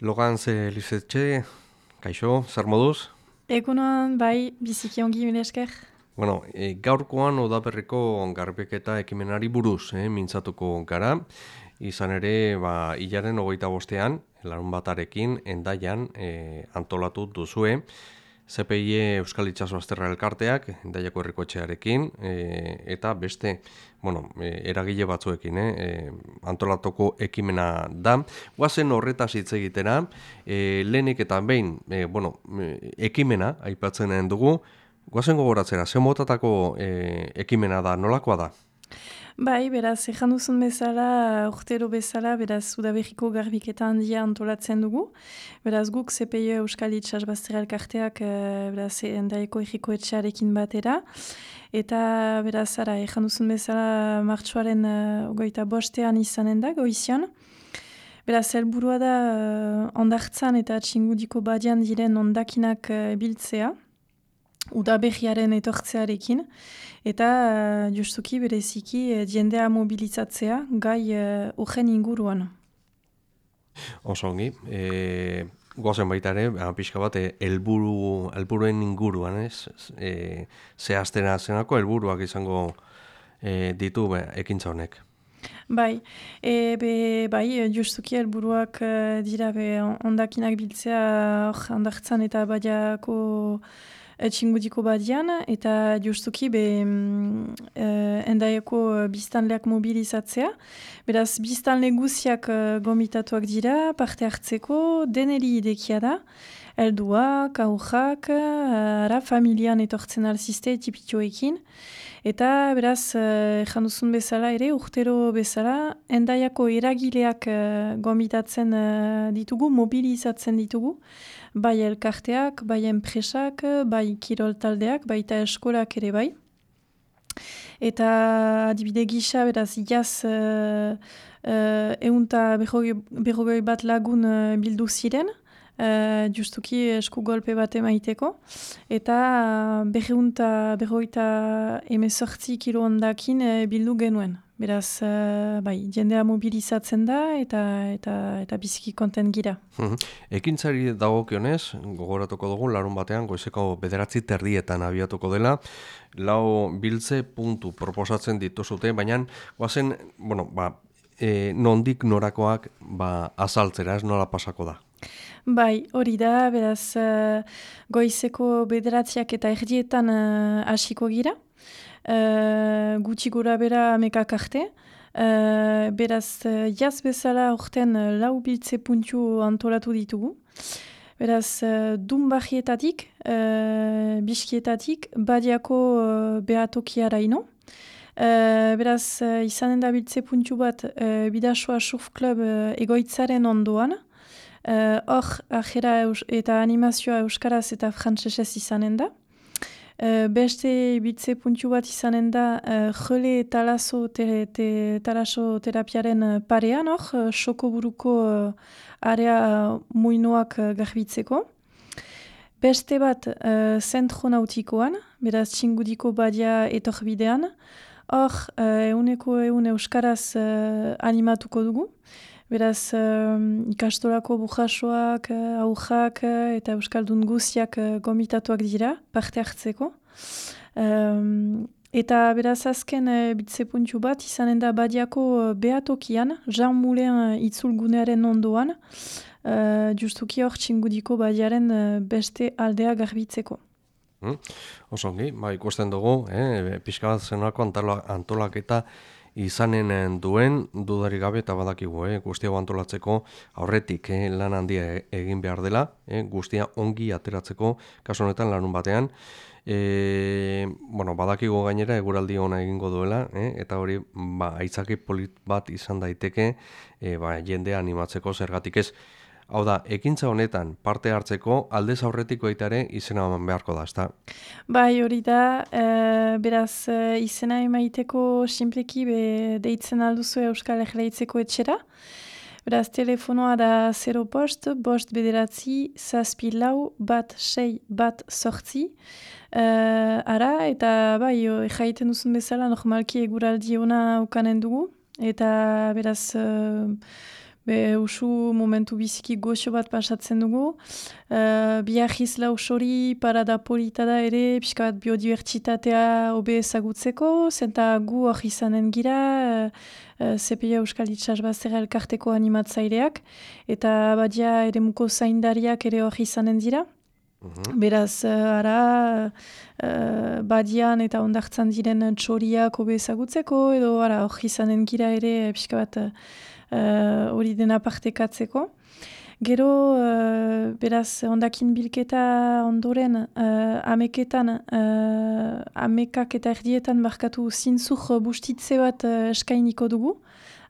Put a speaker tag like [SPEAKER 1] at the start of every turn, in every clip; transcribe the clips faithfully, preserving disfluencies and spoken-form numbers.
[SPEAKER 1] Logan ze Lizetxe, kaixo, zer moduz?
[SPEAKER 2] Egunon, bai, biziki ongi mila esker.
[SPEAKER 1] Bueno, e, gaurkoan udaberriko garbiketa ekimenari buruz, eh, mintzatuko gara. Izan ere, ba, hilaren hogeita bostean, larun batarekin, endaian e, antolatu duzue. Z P I E Euskal Itxaso Azterra Elkarteak, endaiako herrikoetxearekin, e, eta beste, bueno, e, eragile batzuekin, eh, e, antolatuko ekimena da. Guazen horretaz hitz egitera, e, lehenik eta behin, e, bueno, e, ekimena aipatzen dugu. Guazen gogoratzera, ze motatako e, ekimena da, nolakoa da?
[SPEAKER 2] Bai, beraz, ejan duzun bezala, urtero bezala, beraz, udaberriko garbiketa handia antolatzen dugu. Beraz, guk Z P I E Euskal Itxas Bazterra Elkarteak, e, beraz, endaieko erriko etxearekin batera. Eta, beraz, ara, ejan duzun bezala, martxoaren uh, ogoita bostean izanen da, goizian. Beraz, helburua da, uh, ondartzan eta txingudiko badian diren ondakinak uh, biltzea, udaberriaren etortzearekin, eta uh, justuki bereziki uh, jendea mobilizatzea gai uh, urgen inguruan.
[SPEAKER 1] Oso ongi. E, goazen baita ere, ba, pixka bat, e, helburu, helburuen inguruan, ez? E, zehaztena zenako helburuak izango e, ditu be, ekintza honek.
[SPEAKER 2] Bai, e, be, bai, justuki helburuak uh, dira be ondakinak biltzea hor ondartzan eta badiako uh, txingudiko badian, eta justuki be mm, uh, endaieko uh, biztanleak mobilizatzea. Beraz, biztanle guziak uh, gomitatuak dira, parte hartzeko, deneri idekia da, helduak, aurrak, uh, ara, familian etortzen alziste tipitioekin. Eta beraz, uh, janduzun bezala ere, urtero bezala, endaiako eragileak uh, gomitatzen uh, ditugu, mobilizatzen ditugu, bai elkarteak, bai enpresak, bai kirol taldeak, baita eskolak ere bai. Eta adibide gisa, beraz, jaz uh, uh, eunta berrogei bat lagun uh, bildu ziren, uh, justuki esku golpe bat emaiteko, eta uh, berreunta berroita emezortzi kilo ondakin uh, bildu genuen. Beraz, uh, bai, jendea mobilizatzen da, eta eta eta biziki konten gira.
[SPEAKER 1] Mhm. Ekintzari dagokionez, gogoratuko dugu, larun batean, goizeko bederatzi terdietan abiatuko dela, lau biltze puntu proposatzen dituzute, baina, guazen, bueno, ba, e, nondik norakoak ba, azaltzera, ez nola pasako da.
[SPEAKER 2] Bai, hori da, beraz, uh, goizeko bederatziak eta erdietan uh, hasiko gira, uh, gutxi gura bera amekak arte. Uh, beraz, uh, jaz bezala orten uh, lau biltze puntu antolatu ditugu. Beraz, uh, Dunbajietatik, uh, Biskietatik, Badiako uh, behatokiara ino. Uh, beraz, uh, izanen da biltze puntu bat uh, Bidasoa Surf Club uh, egoitzaren ondoan. Hor, uh, ajera eus, eta animazioa euskaraz eta frantsesez izanen da. Uh, beste bitze puntu bat izanen da uh, jole talaso, te, te, talaso terapiaren uh, parean, hor, uh, soko buruko uh, area uh, muinoak uh, garbitzeko. Beste bat uh, zentro nautikoan, beraz txingudiko badia etorbidean. Hor, uh, euneko eun euskaraz uh, animatuko dugu. Beraz, uh, ikastolako bujasoak, uh, aujak uh, eta euskaldun guziak uh, gomitatuak dira, parte hartzeko. Um, eta beraz azken uh, bitze puntu bat, izanen da badiako uh, behatokian, Jean Moulin uh, itzulgunearen ondoan, uh, justuki hor txingudiko badiaren uh, beste aldea garbitzeko.
[SPEAKER 1] Hmm? Oso ongi, ba, ikusten dugu, eh, pixka bat zenolako antolaketa izanen duen dudarik gabe eta badakigu, eh, guztia antolatzeko aurretik eh, lan handia egin behar dela, eh, guztia ongi ateratzeko kasu honetan lanun batean. E, bueno, badakigu gainera eguraldi ona egingo duela, eh, eta hori ba, aitzaki polit bat izan daiteke eh, ba, jendea animatzeko zergatik ez. Hau da, ekintza honetan parte hartzeko aldez aurretik baitare izena eman beharko da, ezta?
[SPEAKER 2] Bai, hori da, uh, beraz uh, izena emaiteko sinpleki be deitzen alduzu Euskal Herleitzeko etxera. Beraz, telefonoa da zero bost, bost bederatzi, zazpi lau, bat sei, bat sortzi. Uh, ara, eta bai, jaiten duzun bezala, normalki eguraldi ona ukanen dugu. Eta beraz, uh, be usu momentu biziki goxo bat pasatzen dugu. Uh, Biajiz lausori parada polita da ere, pixka bat biodibertsitatea hobe ezagutzeko, zenta gu hori izanen gira, uh, uh, Z P I Euskal Itsasbazterra elkarteko animatzaileak, eta badia eremuko zaindariak ere hori izanen dira.
[SPEAKER 1] Mhm.
[SPEAKER 2] Beraz, uh, ara, uh, badian eta ondartzan diren txoriak hobe ezagutzeko, edo ara, hori izanen gira ere, pixka bat hori uh, dena partekatzeko. Gero, uh, beraz, ondakin bilketa ondoren, uh, ameketan, uh, amekak eta erdietan barkatu zintzuk bustitze bat uh, eskainiko dugu,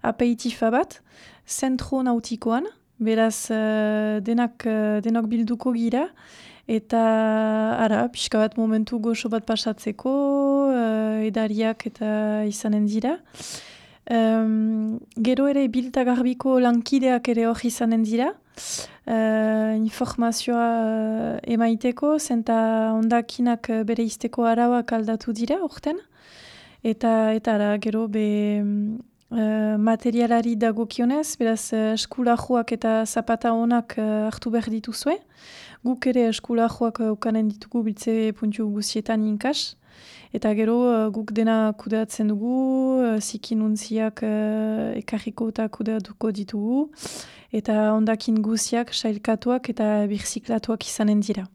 [SPEAKER 2] apeitifa bat, zentro nautikoan, beraz, uh, denak, uh, denok bilduko gira, eta ara, pixka bat momentu goxo bat pasatzeko, uh, edariak eta izanen dira. Um, gero ere bilta garbiko lankideak ere hori izanen dira, uh, informazioa uh, emaiteko, zenta ondakinak bere izteko arauak aldatu dira orten, eta eta ara, gero be uh, materialari dagokionez, beraz uh, eskulajoak eta zapata honak uh, hartu behar dituzue, guk ere eskulajoak uh, ukanen ditugu biltze puntu guztietan inkas, eta gero uh, guk dena kudeatzen dugu, uh, zikinuntziak uh, ekarriko eta kudeatuko ditugu, eta ondakin guziak, sailkatuak eta birziklatuak izanen dira.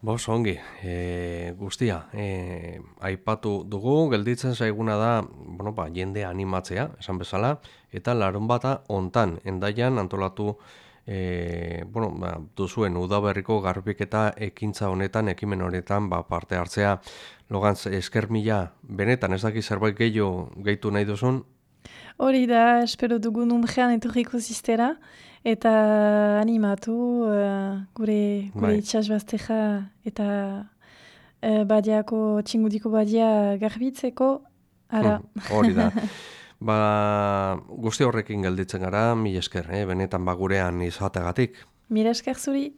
[SPEAKER 1] Bos, ongi, e, guztia, e, aipatu dugu, gelditzen zaiguna da, bueno, ba, jende animatzea, esan bezala, eta larun bata ontan, endaian antolatu E, bueno, ba, duzuen udaberriko garbiketa ekintza honetan, ekimen honetan ba, parte hartzea. Logantz, esker mila, benetan, ez daki zerbait gehiago gehitu nahi duzun?
[SPEAKER 2] Hori da, espero dugun unjean etorriko ziztera, eta animatu uh, gure, gure
[SPEAKER 1] Bai.
[SPEAKER 2] itxasbazteja eta uh, badiako, txingudiko badia garbitzeko, ara.
[SPEAKER 1] Hori da. Ba, guzti horrekin gelditzen gara, mila esker, eh? Benetan ba gurean izategatik.
[SPEAKER 2] Mila esker zuri.